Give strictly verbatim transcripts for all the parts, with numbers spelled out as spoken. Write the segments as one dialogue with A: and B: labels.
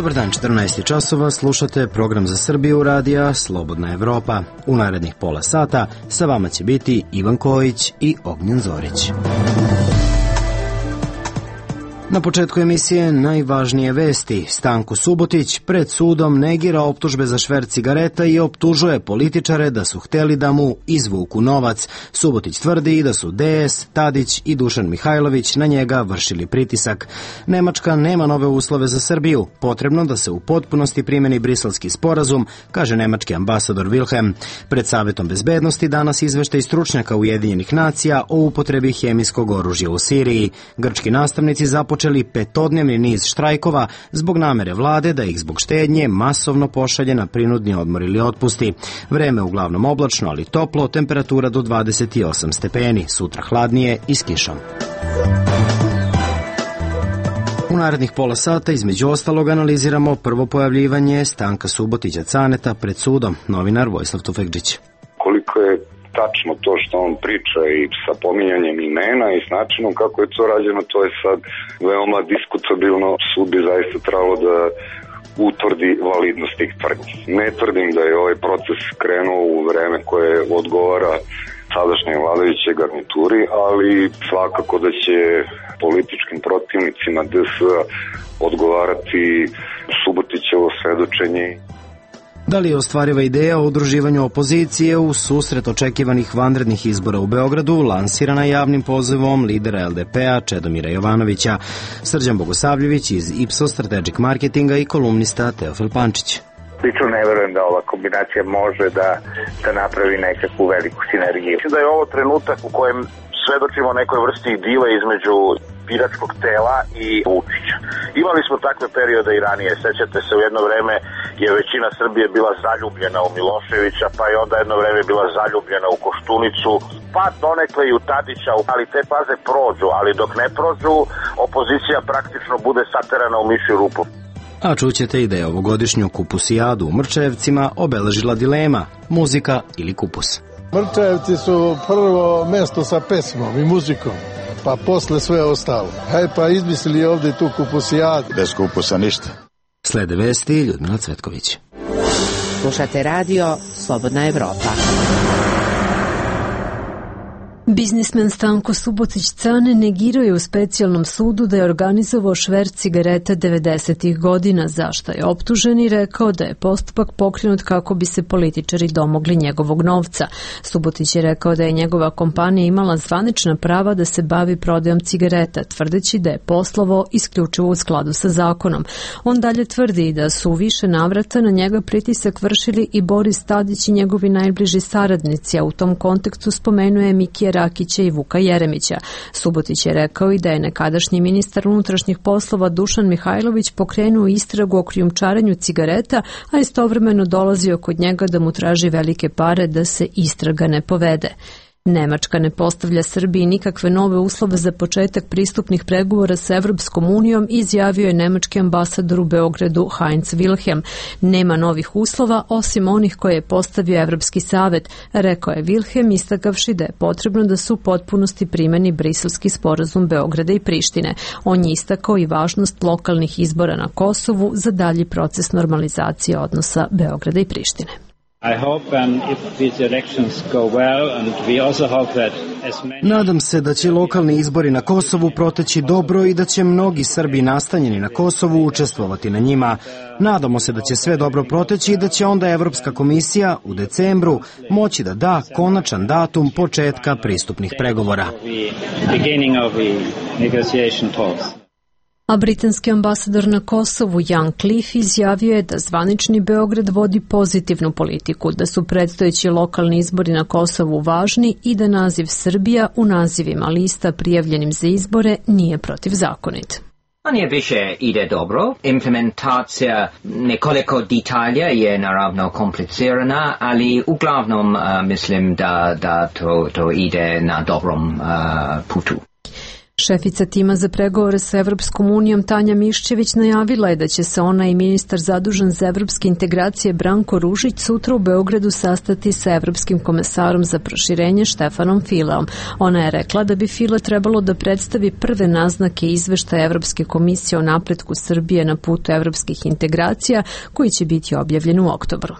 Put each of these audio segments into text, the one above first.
A: Dobar dan, četrnaest časova, slušate program za Srbiju radija Slobodna Evropa. U narednih pola sata sa vama će biti Ivan Kojić i Ognjen Zorić. Na početku emisije najvažnije vesti. Stanko Subotić pred sudom negira optužbe za šverc cigareta i optužuje političare da su hteli da mu izvuku novac. Subotić tvrdi da su D S, Tadić i Dušan Mihajlović na njega vršili pritisak. Nemačka nema nove uslove za Srbiju. Potrebno da se u potpunosti primeni Briselski sporazum, kaže nemački ambasador Wilhelm. Pred Savetom bezbednosti danas izveštaj stručnjaka Ujedinjenih nacija o upotrebi hemijskog oružja u Siriji. Grčki nastavnici započeli počeli petodnevni niz štrajkova zbog namere vlade da ih zbog štednje masovno pošalje na prinudni odmor ili otpusti. Vreme uglavnom oblačno, ali toplo, temperatura do dvadeset osam stepeni, sutra hladnije i s kišom. U narednih pola sata između ostalog analiziramo prvo pojavljivanje Stanka Subotića Caneta pred sudom, novinar Vojislav Tufekđić.
B: Koliko je tačno to što on priča i sa pominjanjem imena i s načinom kako je to rađeno, to je sad veoma diskutabilno. Sud bi zaista trebalo da utvrdi validnost tih tvrdnji. Ne tvrdim da je ovaj proces krenuo u vreme koje odgovara sadašnjoj vladajućoj garnituri, ali svakako da će političkim protivnicima D S A odgovarati Subotićevo svedočenje.
A: Da li je ostvariva ideja o udruživanju opozicije u susret očekivanih vanrednih izbora u Beogradu lansirana javnim pozivom lidera L D P-a Čedomira Jovanovića? Srđan Bogosavljević iz Ipsos Strategic Marketinga i kolumnista Teofil Pančić.
C: Lično ne verujem da ova kombinacija može da, da napravi nekakvu veliku sinergiju. Mislim da je ovo trenutak u kojem svedočimo nekoj vrsti dile između biračkog tela i Vučića. Imali smo takve periode i ranije. Sećate se, u jedno vreme je većina Srbije bila zaljubljena u Miloševića, pa je onda jedno vreme bila zaljubljena u Koštunicu, pa donekle i u Tadića, ali te faze prođu, ali dok ne prođu, opozicija praktično bude saterana u mišju rupu.
A: A čućete i da je ovogodišnju kupusijadu u Mrčajevcima obeležila dilema, muzika ili kupus.
D: Mrčajevci su prvo mesto sa pesmom i muzikom, pa posle sve ostalo. Hej, pa izmislili ovdje tu kupusijadu.
E: Bez kupusa ništa.
A: Slede vesti Ljudmila Cvetković.
F: Slušate radio Slobodna Evropa.
G: Biznismen Stanko Subotić Cane negirao je u specijalnom sudu da je organizovao šverc cigareta devedesetih godina, za što je optužen i rekao da je postupak pokrenut kako bi se političari domogli njegovog novca. Subotić je rekao da je njegova kompanija imala zvanična prava da se bavi prodajom cigareta, tvrdeći da je poslovao isključivo u skladu sa zakonom. On dalje tvrdi da su u više navrata na njega pritisak vršili i Boris Tadić i njegovi najbliži saradnici, a u tom kontekstu spomenuje Mikija Rakića i Vuka Jeremića. Subotić je rekao i da je nekadašnji ministar unutrašnjih poslova Dušan Mihajlović pokrenuo istragu o krijumčarenju cigareta, a istovremeno dolazio kod njega da mu traži velike pare da se istraga ne povede. Nemačka ne postavlja Srbiji nikakve nove uslove za početak pristupnih pregovora sa Evropskom unijom, izjavio je nemački ambasador u Beogradu Heinz Wilhelm. Nema novih uslova osim onih koje je postavio Evropski savet, rekao je Wilhelm, istakavši da je potrebno da se u potpunosti primeni Briselski sporazum Beograda i Prištine. On je istakao i važnost lokalnih izbora na Kosovu za dalji proces normalizacije odnosa Beograda i Prištine.
A: Nadam se da će lokalni izbori na Kosovu proteći dobro i da će mnogi Srbi nastanjeni na Kosovu učestvovati na njima. Nadamo se da će sve dobro proteći i da će onda Evropska komisija u decembru moći da da konačan datum početka pristupnih pregovora.
G: A britanski ambasador na Kosovu Jan Cliff izjavio je da zvanični Beograd vodi pozitivnu politiku, da su predstojeći lokalni izbori na Kosovu važni i da naziv Srbija u nazivima lista prijavljenim za izbore nije protivzakonit.
H: Manje više ide dobro. Implementacija nekoliko detalja je naravno komplicirana, ali uglavnom uh, mislim da, da to, to ide na dobrom uh, putu.
G: Šefica tima za pregovore sa Evropskom unijom Tanja Miščević najavila je da će se ona i ministar zadužen za evropske integracije Branko Ružić sutra u Beogradu sastati sa evropskim komesarom za proširenje Štefanom Fileom. Ona je rekla da bi File trebalo da predstavi prve naznake izveštaja Evropske komisije o napretku Srbije na putu evropskih integracija koji će biti objavljen u oktobru.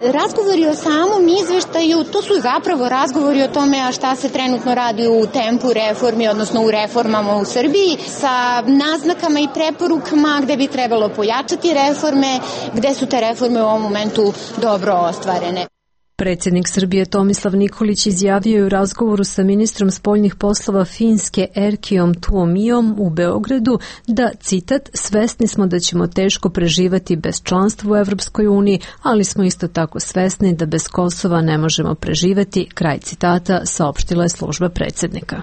E: Razgovori o samom izveštaju, to su zapravo razgovori o tome a šta se trenutno radi u tempu reformi, odnosno u reformama u Srbiji, sa naznakama i preporukama gde bi trebalo pojačati reforme, gde su te reforme u ovom momentu dobro ostvarene.
G: Predsjednik Srbije Tomislav Nikolić izjavio je u razgovoru sa ministrom spoljnih poslova Finske Erkijom Tuomijom u Beogradu da, citat, svesni smo da ćemo teško preživati bez članstva u Evropskoj uniji, ali smo isto tako svesni da bez Kosova ne možemo preživeti, kraj citata, saopštila je služba predsjednika.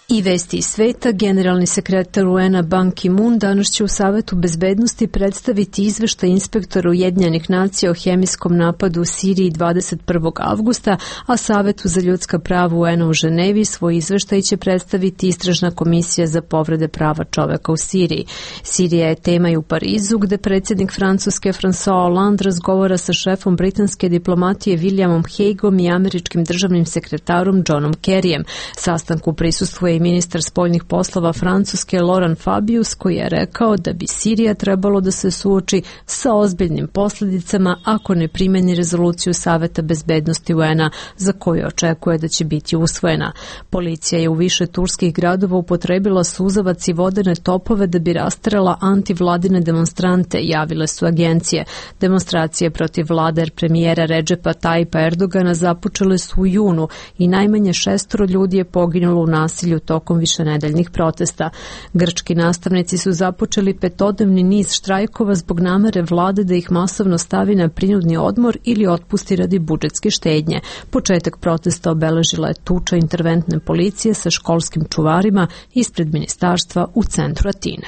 G: I vesti iz sveta, generalni sekretar U N-a Ban Ki-moon danas će u Savetu bezbednosti predstaviti izveštaj inspektora Ujedinjenih nacija o hemijskom napadu u Siriji dvadeset prvog avgusta, a Savetu za ljudska prava U N-a u Ženevi svoj izveštaj će predstaviti Istražna komisija za povrede prava čoveka u Siriji. Sirija je tema i u Parizu, gde predsjednik Francuske François Hollande razgovara sa šefom britanske diplomatije Williamom Hagueom i američkim državnim sekretarom Johnom Kerryjem. Sastanku prisustvuje ministar spoljnih poslova Francuske Laurent Fabius, koji je rekao da bi Sirija trebalo da se suoči sa ozbiljnim posljedicama ako ne primeni rezoluciju Saveta bezbednosti U N-a za koju očekuje da će biti usvojena. Policija je u više turskih gradova upotrebila suzavac i vodene topove da bi rasterala antivladine demonstrante, javile su agencije. Demonstracije protiv vlade premijera Redžepa Tayyipa Erdogana započele su u junu i najmanje šestoro ljudi je poginulo u nasilju tokom višenedeljnih protesta. Grčki nastavnici su započeli petodnevni niz štrajkova zbog namere vlade da ih masovno stavi na prinudni odmor ili otpusti radi budžetske štednje. Početak protesta obeležila je tuča interventne policije sa školskim čuvarima ispred ministarstva u centru Atine.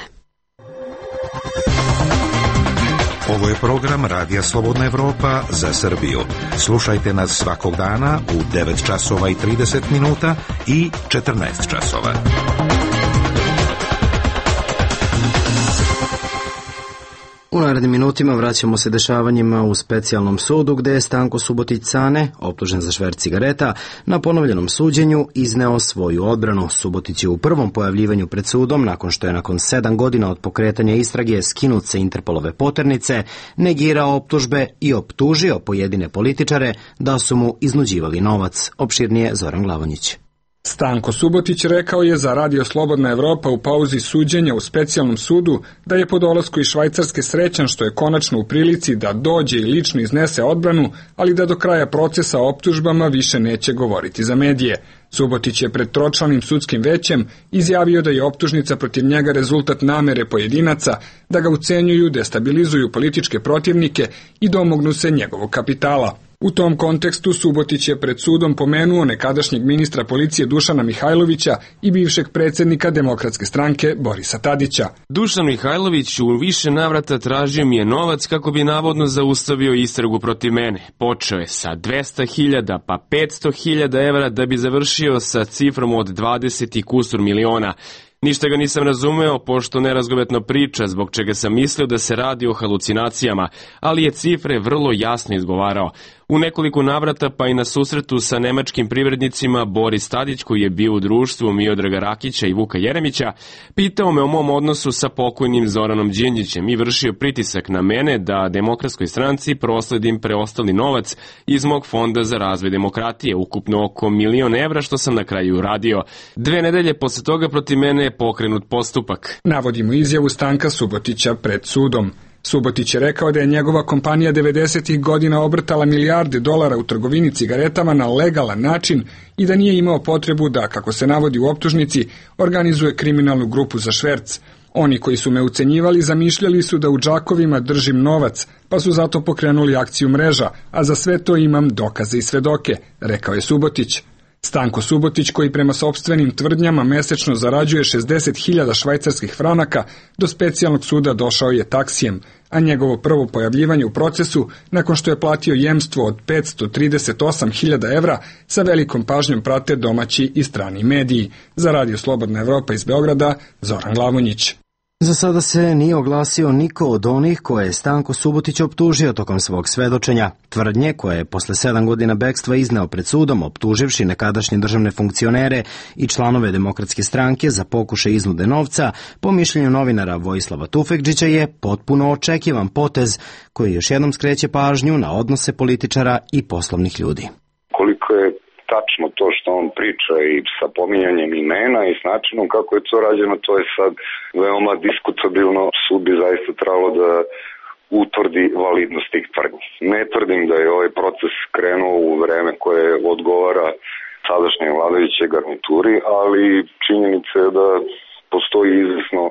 I: Ovo je program Radija Slobodna Evropa za Srbiju. Slušajte nas svakog dana u devet časova i trideset minuta i četrnaest časova.
A: U narednim minutima vraćamo se dešavanjima u specijalnom sudu gde je Stanko Subotić Cane, optužen za šverc cigareta, na ponovljenom suđenju izneo svoju odbranu. Subotić je u prvom pojavljivanju pred sudom, nakon što je nakon sedam godina od pokretanja istrage skinut sa Interpolove poternice, negirao optužbe i optužio pojedine političare da su mu iznuđivali novac. Opširnije Zoran Glavonjić.
J: Stanko Subotić rekao je za Radio Slobodna Evropa u pauzi suđenja u specijalnom sudu da je po dolasku iz Švajcarske srećan što je konačno u prilici da dođe i lično iznese odbranu, ali da do kraja procesa o optužbama više neće govoriti za medije. Subotić je pred tročlanim sudskim većem izjavio da je optužnica protiv njega rezultat namere pojedinaca da ga ucenjuju, destabilizuju političke protivnike i domognu se njegovog kapitala. U tom kontekstu Subotić je pred sudom pomenuo nekadašnjeg ministra policije Dušana Mihajlovića i bivšeg predsjednika Demokratske stranke Borisa Tadića.
K: Dušan Mihajlović u više navrata tražio mi je novac kako bi navodno zaustavio istragu protiv mene. Počeo je sa dvesta hiljada pa petsto hiljada evra da bi završio sa cifrom od dvadeset i kusur miliona. Ništa ga nisam razumeo, pošto nerazgovetno priča, zbog čega sam mislio da se radi o halucinacijama, ali je cifre vrlo jasno izgovarao. U nekoliko navrata, pa i na susretu sa nemačkim privrednicima, Boris Tadić, koji je bio u društvu Miodraga Rakića i Vuka Jeremića, pitao me o mom odnosu sa pokojnim Zoranom Đinđićem i vršio pritisak na mene da Demokratskoj stranci prosledim preostali novac iz mog fonda za razvoj demokratije, ukupno oko milion evra, što sam na kraju uradio. Dve nedelje posle toga protiv mene je pokrenut postupak.
J: Navodimo izjavu Stanka Subotića pred sudom. Subotić je rekao da je njegova kompanija devedesetih godina obrtala milijarde dolara u trgovini cigaretama na legalan način i da nije imao potrebu da, kako se navodi u optužnici, organizuje kriminalnu grupu za šverc. Oni koji su me ucenjivali zamišljali su da u džakovima držim novac, pa su zato pokrenuli akciju Mreža, a za sve to imam dokaze i svedoke, rekao je Subotić. Stanko Subotić, koji prema sopstvenim tvrdnjama mesečno zarađuje šezdeset hiljada švajcarskih franaka, do specijalnog suda došao je taksijem, a njegovo prvo pojavljivanje u procesu, nakon što je platio jemstvo od petsto trideset osam hiljada evra, sa velikom pažnjom prate domaći i strani mediji. Za Radio Slobodna Evropa iz Beograda, Zoran Glavonjić.
A: Za sada se nije oglasio niko od onih koje je Stanko Subotić optužio tokom svog svedočenja. Tvrdnje koje je posle sedam godina bekstva izneo pred sudom, optuživši nekadašnje državne funkcionere i članove Demokratske stranke za pokušaj iznude novca, po mišljenju novinara Vojislava Tufekdžića je potpuno očekivan potez koji još jednom skreće pažnju na odnose političara i poslovnih ljudi.
B: Koliko je tačno to što on priča i sa pominjanjem imena i s načinom kako je to rađeno, to je sad veoma diskutabilno. Sud bi zaista trebalo da utvrdi validnost tih tvrdnji. Ne tvrdim da je ovaj proces krenuo u vreme koje odgovara sadašnjoj vladajućoj garnituri, ali činjenica je da postoji izvesno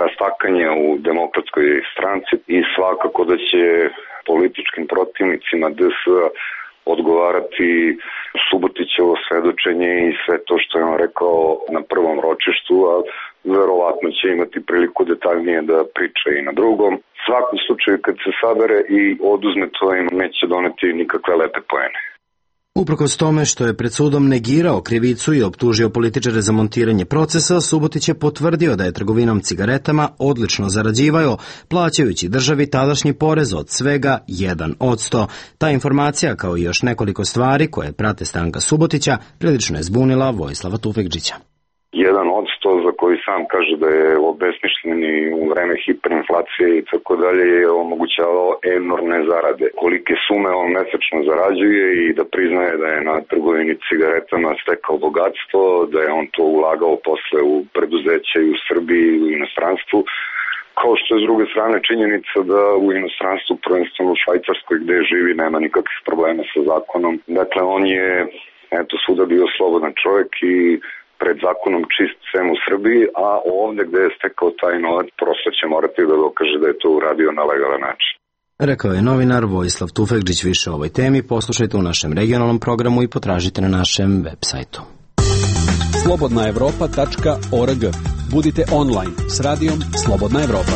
B: rastakanje u Demokratskoj stranci i svakako da će političkim protivnicima D S-a odgovarati Subotićevo svedočenje i sve to što je on rekao na prvom ročištu, a verovatno će imati priliku detaljnije da priča i na drugom. U svakom slučaju, kad se sabere i oduzme to, im neće doneti nikakve lepe poene.
A: Uprkos tome što je pred sudom negirao krivicu i optužio političare za montiranje procesa, Subotić je potvrdio da je trgovinom cigaretama odlično zarađivao, plaćajući državi tadašnji porez od svega jedan posto. Ta informacija, kao i još nekoliko stvari koje prate Stanka Subotića, prilično je zbunila Vojislava Tufekdžića.
B: Jedan odsto za koji sam kaže da je obesmišljen i u vreme hiperinflacije i tako dalje je omogućavao enormne zarade. Kolike sume on mesečno zarađuje i da priznaje da je na trgovini cigaretama stekao bogatstvo, da je on to ulagao posle u preduzeće i u Srbiji i u inostranstvu. Kao što je s druge strane činjenica da u inostranstvu, prvenstveno u Švajcarskoj gde živi, nema nikakvih problema sa zakonom. Dakle, on je eto svuda bio slobodan čovjek i pred zakonom čist sem u Srbiji, a ovdje gde je stekao taj novac prosto će morati da dokaže da je to uradio na legalan način.
A: Rekao je novinar Vojislav Tufekdžić. Više o ovoj temi poslušajte u našem regionalnom programu i potražite na našem web sajtu.
L: slobodna evropa tačka org. Budite online s radijom Slobodna Evropa.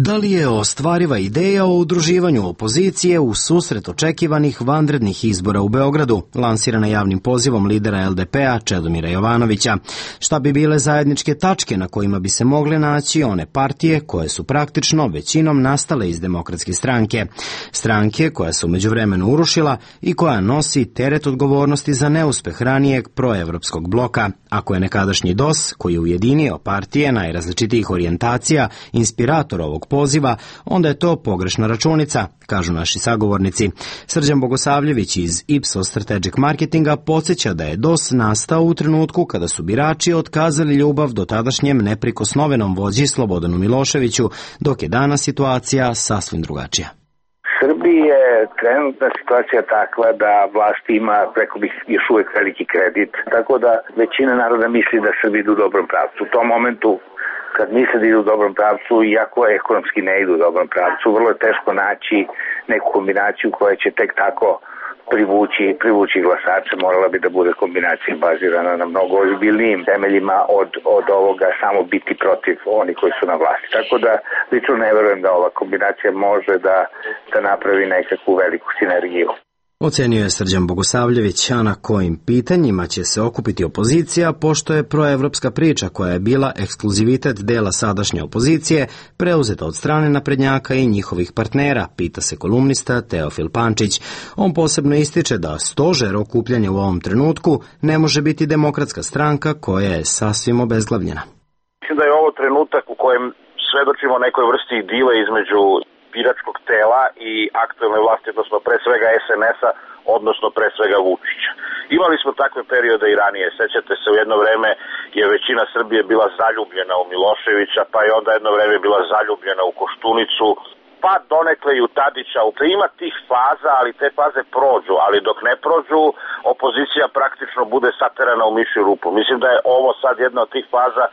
A: Da li je ostvariva ideja o udruživanju opozicije u susret očekivanih vanrednih izbora u Beogradu, lansirana javnim pozivom lidera L D P-a Čedomira Jovanovića? Šta bi bile zajedničke tačke na kojima bi se mogle naći one partije koje su praktično većinom nastale iz Demokratske stranke? Stranke koja se u međuvremenu urušila i koja nosi teret odgovornosti za neuspeh ranijeg proevropskog bloka. Ako je nekadašnji D O S, koji je ujedinio partije najrazličitijih orijentacija, inspirator ovog poziva, onda je to pogrešna računica, kažu naši sagovornici. Srđan Bogosavljević iz Ipsos Strategic Marketinga podsjeća da je D O S nastao u trenutku kada su birači otkazali ljubav do tadašnjem neprikosnovenom vođi Slobodanu Miloševiću, dok je danas situacija sasvim drugačija.
C: Srbiji je trenutna situacija takva da vlast ima, preko bih, još uvek veliki kredit, tako da većina naroda misli da Srbi idu u dobrom pravcu. U tom momentu, kad misle da idu u dobrom pravcu, iako ekonomski ne idu u dobrom pravcu, vrlo je teško naći neku kombinaciju koja će tek tako privući, privući glasače. Morala bi da bude kombinacija bazirana na mnogo ozbiljnijim temeljima od, od ovoga samo biti protiv oni koji su na vlasti. Tako da lično ne verujem da ova kombinacija može da, da napravi nekakvu veliku sinergiju.
A: Ocenio je Srđan Bogosavljević, a na kojim pitanjima će se okupiti opozicija, pošto je proevropska priča koja je bila ekskluzivitet dela sadašnje opozicije preuzeta od strane naprednjaka i njihovih partnera, pita se kolumnista Teofil Pančić. On posebno ističe da stožer okupljanja u ovom trenutku ne može biti Demokratska stranka koja je sasvim obezglavljena.
C: Mislim da je ovo trenutak u kojem svedočimo nekoj vrsti dile između biračkog tela i aktuelne vlasti, odnosno pre svega S N S-a, odnosno pre svega Vučića. Imali smo takve periode i ranije. Sećate se, u jedno vreme je većina Srbije bila zaljubljena u Miloševića, pa je onda jedno vreme bila zaljubljena u Koštunicu, pa donekle i u Tadića. Ima tih faza, ali te faze prođu, ali dok ne prođu, opozicija praktično bude saterana u mišju rupu. Mislim da je ovo sad jedna od tih faza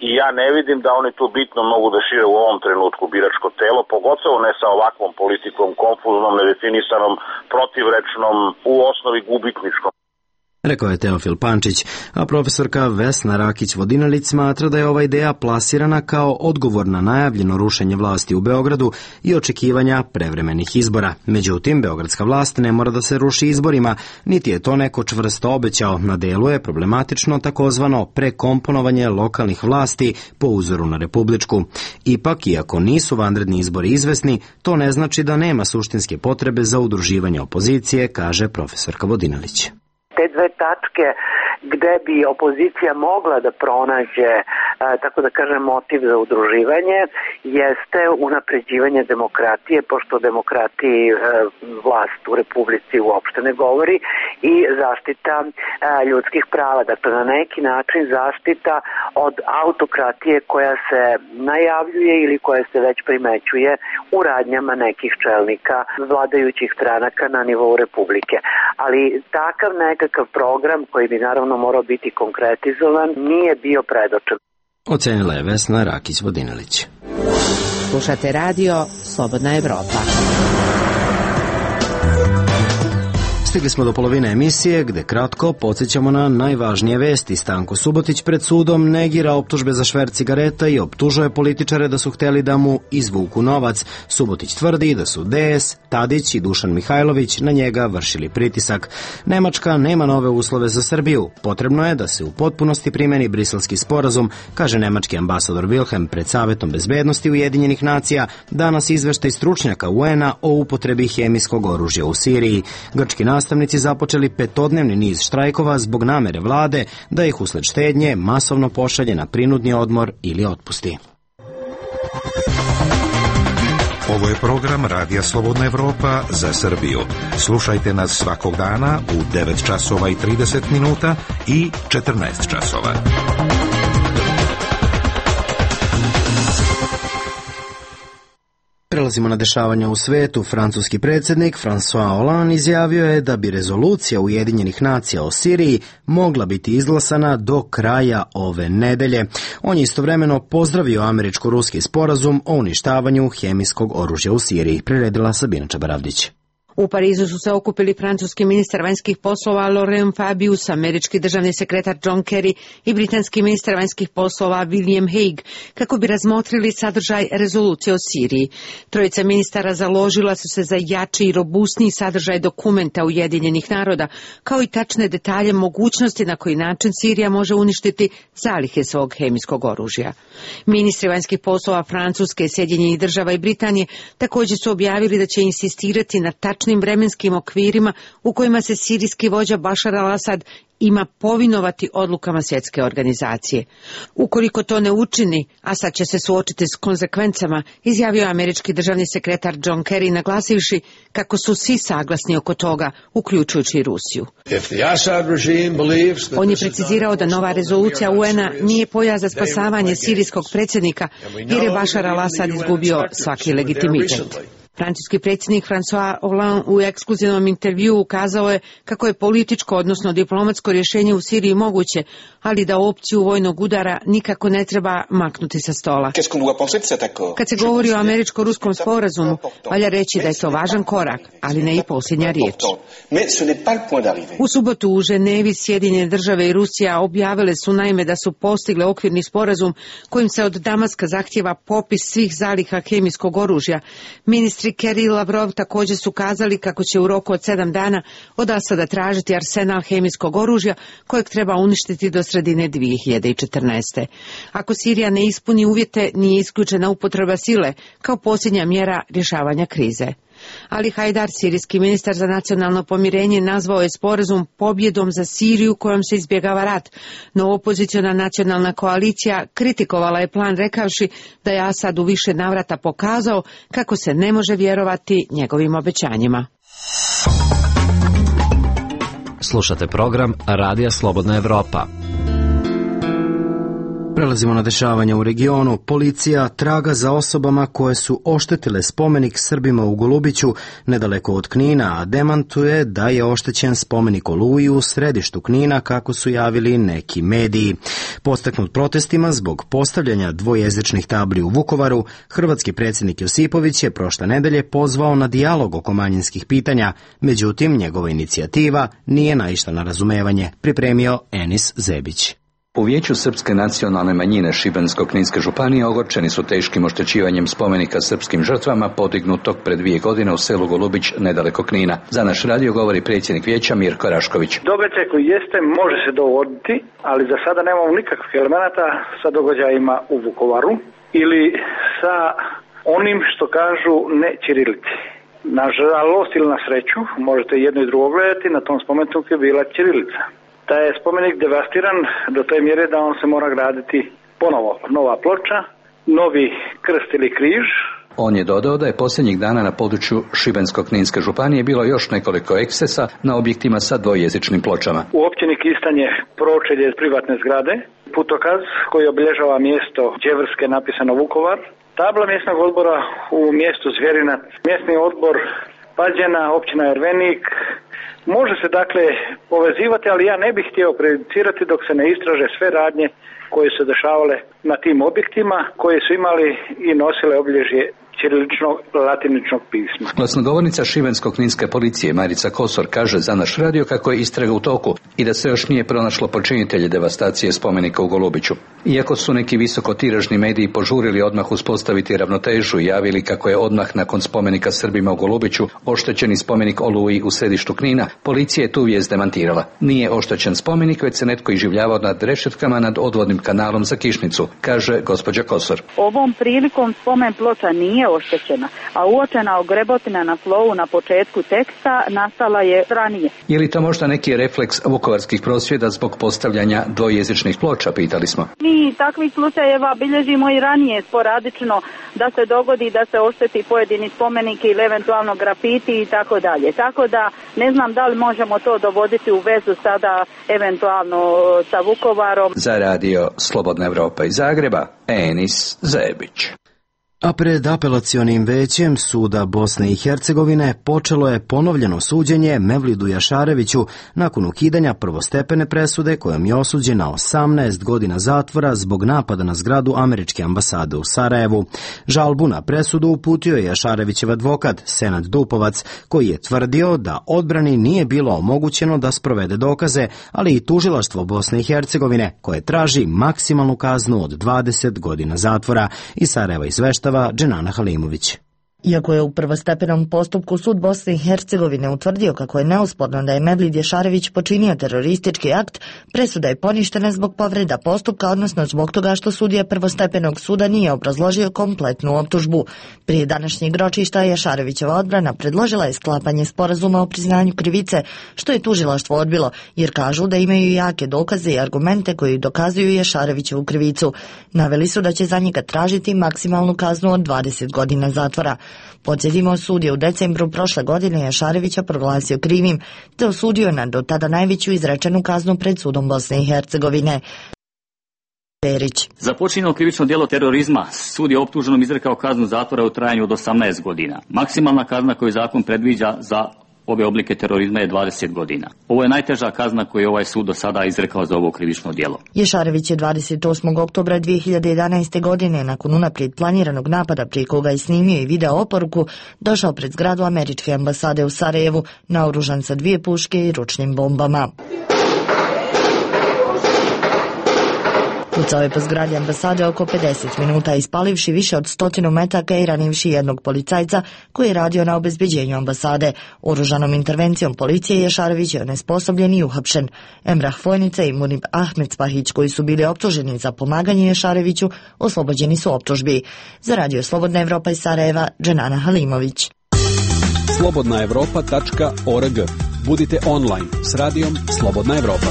C: i ja ne vidim da oni tu bitno mogu da šire u ovom trenutku biračko telo, pogotovo ne sa ovakvom politikom, konfuznom, nedefinisanom, protivrečnom, u osnovi gubitničkom.
A: Rekao je Teofil Pančić, a profesorka Vesna Rakić-Vodinelić smatra da je ova ideja plasirana kao odgovor na najavljeno rušenje vlasti u Beogradu i očekivanja prevremenih izbora. Međutim, beogradska vlast ne mora da se ruši izborima, niti je to neko čvrsto obećao. Na delu je problematično takozvano prekomponovanje lokalnih vlasti po uzoru na republičku. Ipak, iako nisu vanredni izbori izvesni, to ne znači da nema suštinske potrebe za udruživanje opozicije, kaže profesorka Vodinelić.
M: Te dve tačke gde bi opozicija mogla da pronađe, tako da kažem, motiv za udruživanje, jeste unapređivanje demokratije, pošto demokratiji vlast u Republici uopšte ne govori, i zaštita ljudskih prava. Dakle, na neki način zaštita od autokratije koja se najavljuje ili koja se već primećuje u radnjama nekih čelnika vladajućih stranaka na nivou Republike. Ali takav nekakav program, koji bi naravno morao biti konkretizovan, nije bio predočen.
A: Ocenila je Vesna Rakić-Vodinelić.
F: Slušate radio Slobodna Evropa.
A: Stigli smo do polovine emisije, gde kratko podsjećamo na najvažnije vesti. Stanko Subotić pred sudom negira optužbe za šverc cigareta i optužuje političare da su hteli da mu izvuku novac. Subotić tvrdi da su D S, Tadić i Dušan Mihajlović na njega vršili pritisak. Nemačka nema nove uslove za Srbiju. Potrebno je da se u potpunosti primeni Briselski sporazum, kaže nemački ambasador Wilhelm pred Savetom bezbednosti Ujedinjenih nacija, danas izveštaj stručnjaka U N-a o upotrebi hemijskog oružja u Siriji. Grčki nastavnici započeli petodnevni niz štrajkova zbog namere vlade da ih usled štednje masovno pošalje na prinudni odmor ili otpusti.
I: Ovo je program Radija Slobodna Evropa za Srbiju. Slušajte nas svakog dana u devet časova i trideset minuta i četrnaest časova.
A: Prelazimo na dešavanja u svetu. Francuski predsjednik François Hollande izjavio je da bi rezolucija Ujedinjenih nacija o Siriji mogla biti izglasana do kraja ove nedelje. On je istovremeno pozdravio američko-ruski sporazum o uništavanju hemijskog oružja u Siriji. Priredila Sabina Čabaravdić.
N: U Parizu su se okupili francuski ministar vanjskih poslova Laurent Fabius, američki državni sekretar John Kerry i britanski ministar vanjskih poslova William Hague kako bi razmotrili sadržaj rezolucije o Siriji. Trojica ministara založila su se za jači i robustniji sadržaj dokumenta Ujedinjenih naroda, kao i tačne detalje mogućnosti na koji način Sirija može uništiti zalihe svog hemijskog oružja. Ministri vanjskih poslova Francuske, Sjedinjenih država i Britanije također su objavili da će insistirati na tačnim vremenskim okvirima u kojima se sirijski vođa Bašar al-Asad ima povinovati odlukama svjetske organizacije. Ukoliko to ne učini, Asad će se suočiti s konsekvencama, izjavio američki državni sekretar John Kerry, naglasivši kako su svi saglasni oko toga, uključujući i Rusiju. On je precizirao da nova rezolucija U N-a nije pojas za spasavanje sirijskog predsjednika, jer je Bašar al-Asad izgubio svaki legitimitet. Francuski predsjednik François Hollande u ekskluzivnom intervjuu ukazao je kako je političko, odnosno diplomatsko rješenje u Siriji moguće, ali da opciju vojnog udara nikako ne treba maknuti sa stola. Kad se govori o američko-ruskom sporazumu, valja reći da je to važan korak, ali ne i posljednja riječ. U subotu u Ženevi Sjedinjene države i Rusija objavile su naime da su postigle okvirni sporazum kojim se od Damaska zahtjeva popis svih zaliha hemijskog oružja. Ministri Kerry i Lavrov također su kazali kako će u roku od sedam dana od Asada tražiti arsenal hemijskog oružja kojeg treba uništiti do sredine dvije hiljade četrnaeste. Ako Sirija ne ispuni uvjete, nije isključena upotreba sile kao posljednja mjera rješavanja krize. Ali Hajdar, sirijski ministar za nacionalno pomirenje, nazvao je sporazum pobjedom za Siriju kojom se izbjegava rat, no opoziciona nacionalna koalicija kritikovala je plan rekavši da je Asad u više navrata pokazao kako se ne može vjerovati njegovim obećanjima.
O: Slušate program Radija Slobodna Evropa.
A: Prelazimo na dešavanja u regionu. Policija traga za osobama koje su oštetile spomenik Srbima u Golubiću nedaleko od Knina, a demantuje da je oštećen spomenik Oluji u središtu Knina, kako su javili neki mediji. Podstaknut protestima zbog postavljanja dvojezičnih tabli u Vukovaru, hrvatski predsjednik Josipović je prošle nedelje pozvao na dijalog oko manjinskih pitanja, međutim njegova inicijativa nije naišla na razumevanje, pripremio Enis Zebić.
O: U Vijeću srpske nacionalne manjine Šibensko-kninske županije ogorčeni su teškim oštećivanjem spomenika srpskim žrtvama podignutog pred dvije godine u selu Golubić nedaleko Knina. Za naš radio govori predsjednik vijeća Mirko Rašković.
P: Događaj koji jeste može se dogoditi, ali za sada nemamo nikakvih elemenata sa događajima u Vukovaru ili sa onim što kažu ne ćirilici. Na žalost ili na sreću, možete jedno i drugo gledati, na tom spomeniku je bila ćirilica. Da je spomenik devastiran do te mjere da on se mora graditi ponovo. Nova ploča, novi krst ili križ.
O: On je dodao da je posljednjih dana na području Šibensko-kninske županije bilo još nekoliko ekscesa na objektima sa dvojezičnim pločama.
P: U općini Kistan je pročelje privatne zgrade, putokaz koji obilježava mjesto Đevrske napisano Vukovar, tabla mjesnog odbora u mjestu Zvjerinac, mjesni odbor Pađena, općina Ervenik. Može se dakle povezivati, ali ja ne bih htio prejudicirati dok se ne istraže sve radnje koje su dešavale na tim objektima, koje su imali i nosile obilježje ćiriličnog latiničnog pisma.
O: Glasnogovornica šibensko-kninske policije Marica Kosor kaže za naš radio kako je istraga u toku i da se još nije pronašlo počinitelje devastacije spomenika u Golubiću. Iako su neki visokotiražni mediji požurili odmah uspostaviti ravnotežu i javili kako je odmah nakon spomenika Srbima u Golubiću oštećeni spomenik Oluji u središtu Knina, policija je tu vijest demantirala. Nije oštećen spomenik, već se netko iživljavao nad rešetkama nad odvodnim kanalom za Kišnicu, kaže gospođa Kosor.
Q: Ovom prilikom spomen ploča nije oštećena, a uočena ogrebotina na slovu na početku teksta nastala je ranije.
O: Je li to možda neki refleks vukovarskih prosvjeda zbog postavljanja dvojezičnih ploča, pitali smo.
Q: Mi takvih slučajeva bilježimo i ranije sporadično da se dogodi da se ošteti pojedini spomenik ili eventualno grafiti i tako dalje. Tako da ne znam da li možemo to dovoditi u vezu sada eventualno sa Vukovarom.
O: Za radio Slobodna Evropa iz Zagreba, Enis Zebić.
A: A pred apelacionim većem Suda Bosne i Hercegovine počelo je ponovljeno suđenje Mevlidu Jašareviću nakon ukidanja prvostepene presude kojom je osuđen na osamnaest godina zatvora zbog napada na zgradu američke ambasade u Sarajevu. Žalbu na presudu uputio je Jašarevićev advokat Senad Dupovac, koji je tvrdio da odbrani nije bilo omogućeno da sprovede dokaze, ali i tužilaštvo Bosne i Hercegovine koje traži maksimalnu kaznu od dvadeset godina zatvora. Iz Sarajeva izveštava Dženana Halimović.
R: Iako je u prvostepenom postupku sud Bosne i Hercegovine utvrdio kako je neosporno da je Mevlid Jašarević počinio teroristički akt, presuda je poništena zbog povreda postupka, odnosno zbog toga što sudija prvostepenog suda nije obrazložio kompletnu optužbu. Prije današnjeg ročišta Jašarevićeva odbrana predložila je sklapanje sporazuma o priznanju krivice, što je tužilaštvo odbilo, jer kažu da imaju jake dokaze i argumente koji dokazuju Jašarevićevu krivicu. Naveli su da će za njega tražiti maksimalnu kaznu od dvadeset godina zatvora. Podsjetimo, sud je u decembru prošle godine Jašarevića proglasio krivim, te osudio na do tada najveću izrečenu kaznu pred sudom Bosne i Hercegovine. Perić.
S: Za počinjeno krivično djelo terorizma sud je optuženom izrekao kaznu zatvora u trajanju od osamnaest godina. Maksimalna kazna koju zakon predviđa za ove oblike terorizma je dvadeset godina. Ovo je najteža kazna koju je ovaj sud do sada izrekao za ovo krivično djelo.
R: Jašarević je dvadeset osmog oktobra dvije hiljade jedanaeste. godine, nakon unaprijed planiranog napada prije koga je snimio i video oporuku, došao pred zgradu američke ambasade u Sarajevu, naoružan sa dvije puške i ručnim bombama. Pucao je po zgradi ambasade oko pedeset minuta, ispalivši više od stotinu metaka i ranivši jednog policajca koji je radio na obezbeđenju ambasade. Oružanom intervencijom policije Jašarević je onesposobljen i uhapšen. Emrah Fojnica i Munib Ahmed Spahić, koji su bili optuženi za pomaganje Jašareviću, oslobođeni su optužbi. Za radio Slobodna Evropa iz Sarajeva, Dženana Halimović.
L: slobodna evropa tačka org. Budite online s radijom Slobodna Evropa.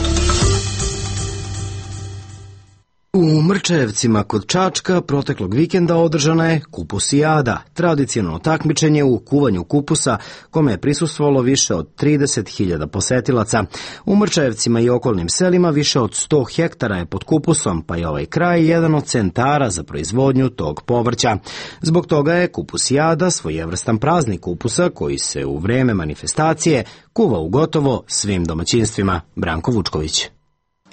A: U Mrčajevcima kod Čačka proteklog vikenda održana je kupusijada, tradicionalno takmičenje u kuvanju kupusa kome je prisustvovalo više od trideset hiljada posetilaca. U Mrčajevcima i okolnim selima više od sto hektara je pod kupusom, pa je ovaj kraj jedan od centara za proizvodnju tog povrća. Zbog toga je kupusijada svojevrstan praznik kupusa koji se u vreme manifestacije kuva u gotovo svim domaćinstvima. Branko Vučković.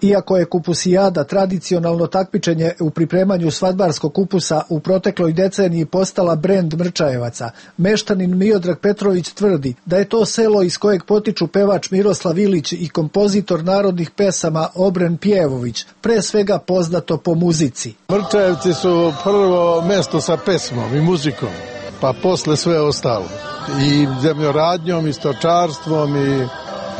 T: Iako je kupusijada tradicionalno takmičenje u pripremanju svadbarskog kupusa u protekloj deceniji postala brend Mrčajevaca, meštanin Miodrag Petrović tvrdi da je to selo iz kojeg potiču pevač Miroslav Ilić i kompozitor narodnih pesama Obren Pjevović, pre svega poznato po muzici.
D: Mrčajevci su prvo mesto sa pesmom i muzikom, pa posle sve ostalo. I zemljoradnjom, i stočarstvom, i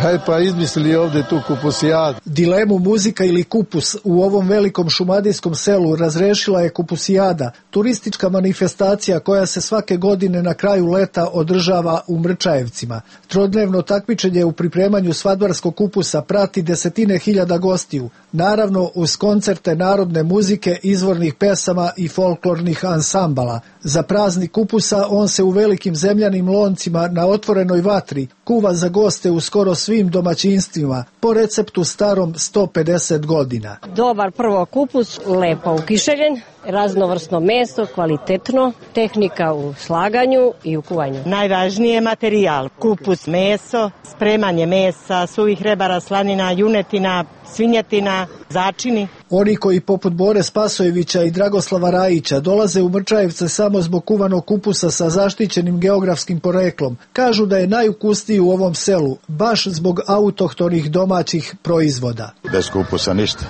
D: hej, pa izmislili ovde tu kupusijadu.
T: Dilemu muzika ili kupus u ovom velikom šumadijskom selu razrešila je kupusijada, turistička manifestacija koja se svake godine na kraju leta održava u Mrčajevcima. Trodnevno takmičenje u pripremanju svadbarskog kupusa prati desetine hiljada gostiju, naravno uz koncerte narodne muzike, izvornih pesama i folklornih ansambala. Za praznik kupusa on se u velikim zemljanim loncima na otvorenoj vatri kuva za goste u skoro svim domaćinstvima, po receptu starom sto pedeset godina.
U: Dobar prvo kupus, lepo ukišeljen, raznovrsno meso, kvalitetno, tehnika u slaganju i u kuvanju.
V: Najvažniji je materijal, kupus, meso, spremanje mesa, suvih rebara, slanina, junetina, svinjetina, začini.
T: Oni koji poput Bore Spasojevića i Dragoslava Rajića dolaze u Mrčajevce samo zbog kuvanog kupusa sa zaštićenim geografskim poreklom, kažu da je najukusniji u ovom selu, baš zbog autohtonih domaćih proizvoda.
W: Bez kupusa ništa.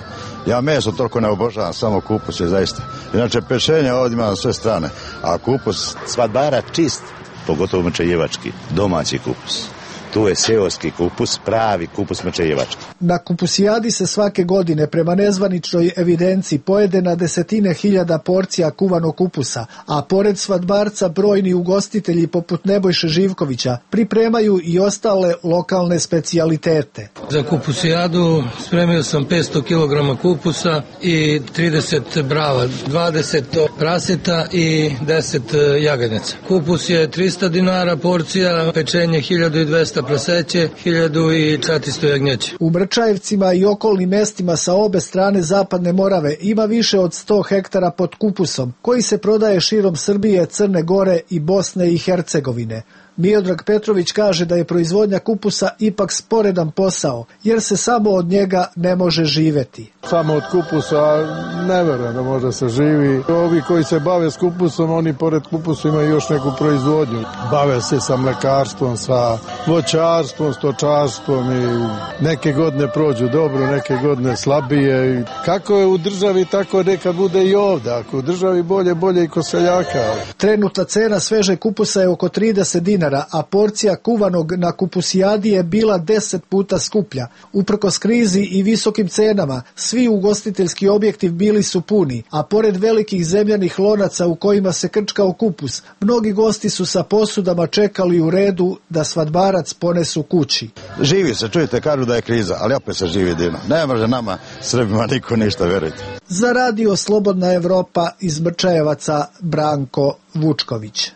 W: Ja meso toliko ne obožavam, samo kupus je zaista. Inače pešenje ovdje ima na sve strane, a kupus svadbara čist, pogotovo mrčajevački, domaći kupus. Tu je seoski kupus, pravi kupus mrčajevački.
T: Na kupusijadi se svake godine prema nezvaničnoj evidenciji pojede na desetine hiljada porcija kuvanog kupusa, a pored svadbarca brojni ugostitelji poput Nebojše Živkovića pripremaju i ostale lokalne specijalitete.
X: Za kupusijadu spremio sam petsto kilograma kupusa i trideset brava, dvadeset praseta i deset jaganjaca. Kupus je trista dinara porcija, pečenje hiljadu dvesta praseće, hiljadu četiristo jagnjeće.
T: U Mrčajevcima i okolnim mestima sa obe strane Zapadne Morave ima više od sto hektara pod kupusom, koji se prodaje širom Srbije, Crne Gore i Bosne i Hercegovine. Miodrag Petrović kaže da je proizvodnja kupusa ipak sporedan posao, jer se samo od njega ne može živeti.
D: Samo od kupusa ne verujem da može se živi. Ovi koji se bave s kupusom, oni pored kupusa imaju još neku proizvodnju. Bave se sa mlekarstvom, sa voćarstvom, stočarstvom i neke godine prođu dobro, neke godine slabije. Kako je u državi, tako nekad bude i ovdje. Ako u državi bolje, bolje i kod seljaka.
T: Trenutna cena sveže kupusa je oko trideset dinara, a porcija kuvanog na kupusijadi je bila deset puta skuplja. Uprkos krizi i visokim cenama, svi ugostiteljski objekti bili su puni, a pored velikih zemljanih lonaca u kojima se krčkao kupus, mnogi gosti su sa posudama čekali u redu da svadbarac ponesu kući.
W: Živi se, čujete, kažu da je kriza, ali opet se živi divno. Ne može nama, Srbima, niko ništa, verujte.
T: Za radio Slobodna Evropa iz Mrčajevaca, Branko Vučković.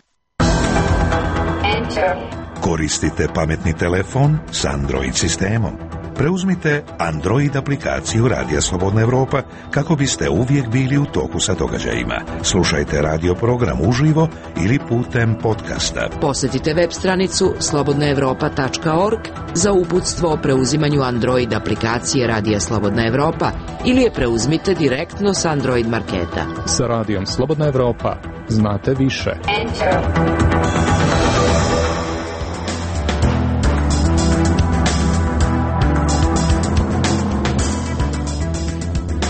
I: Koristite pametni telefon s Android sistemom. Preuzmite Android aplikaciju Radija Slobodna Evropa kako biste uvijek bili u toku sa događajima. Slušajte radio program uživo ili putem podcasta.
F: Posjetite web stranicu slobodna evropa tačka org za uputstvo o preuzimanju Android aplikacije Radija Slobodna Evropa ili je preuzmite direktno s Android marketa.
Y: Sa Radijom Slobodna Evropa znate više. Enter.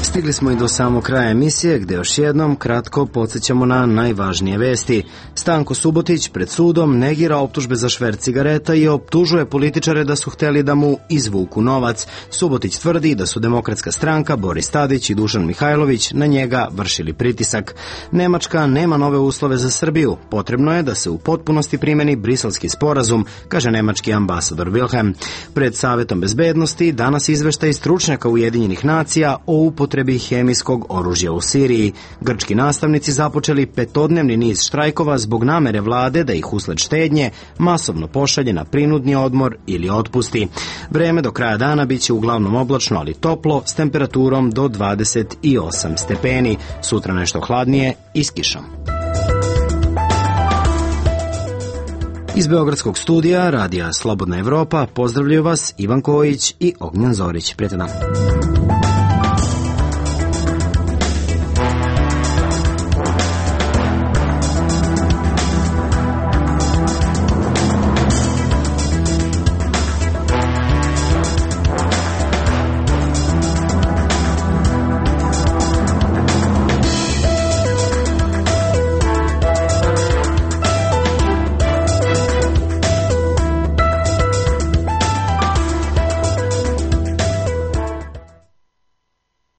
A: Stigli smo i do samog kraja emisije, gde još jednom kratko podsjećamo na najvažnije vesti. Stanko Subotić pred sudom negira optužbe za šverc cigareta i optužuje političare da su hteli da mu izvuku novac. Subotić tvrdi da su Demokratska stranka, Boris Tadić i Dušan Mihajlović na njega vršili pritisak. Nemačka nema nove uslove za Srbiju. Potrebno je da se u potpunosti primeni Briselski sporazum, kaže nemački ambasador Wilhelm. Pred Savetom bezbednosti danas izveštaj stručnjaka Ujedinjenih nacija o upotrebi upotrebi hemijskog oružja u Siriji. Grčki nastavnici započeli petodnevni niz štrajkova zbog namere vlade da ih usled štednje masovno pošalje na prinudni odmor ili otpusti. Vreme do kraja dana biće uglavnom oblačno, ali toplo, s temperaturom do dvadeset osam stepeni. Sutra nešto hladnije i s kišom. Iz Beogradskog studija Radija Slobodna Evropa pozdravljaju vas Ivan Kojić i Ognjan Zorić. Prijatan dan.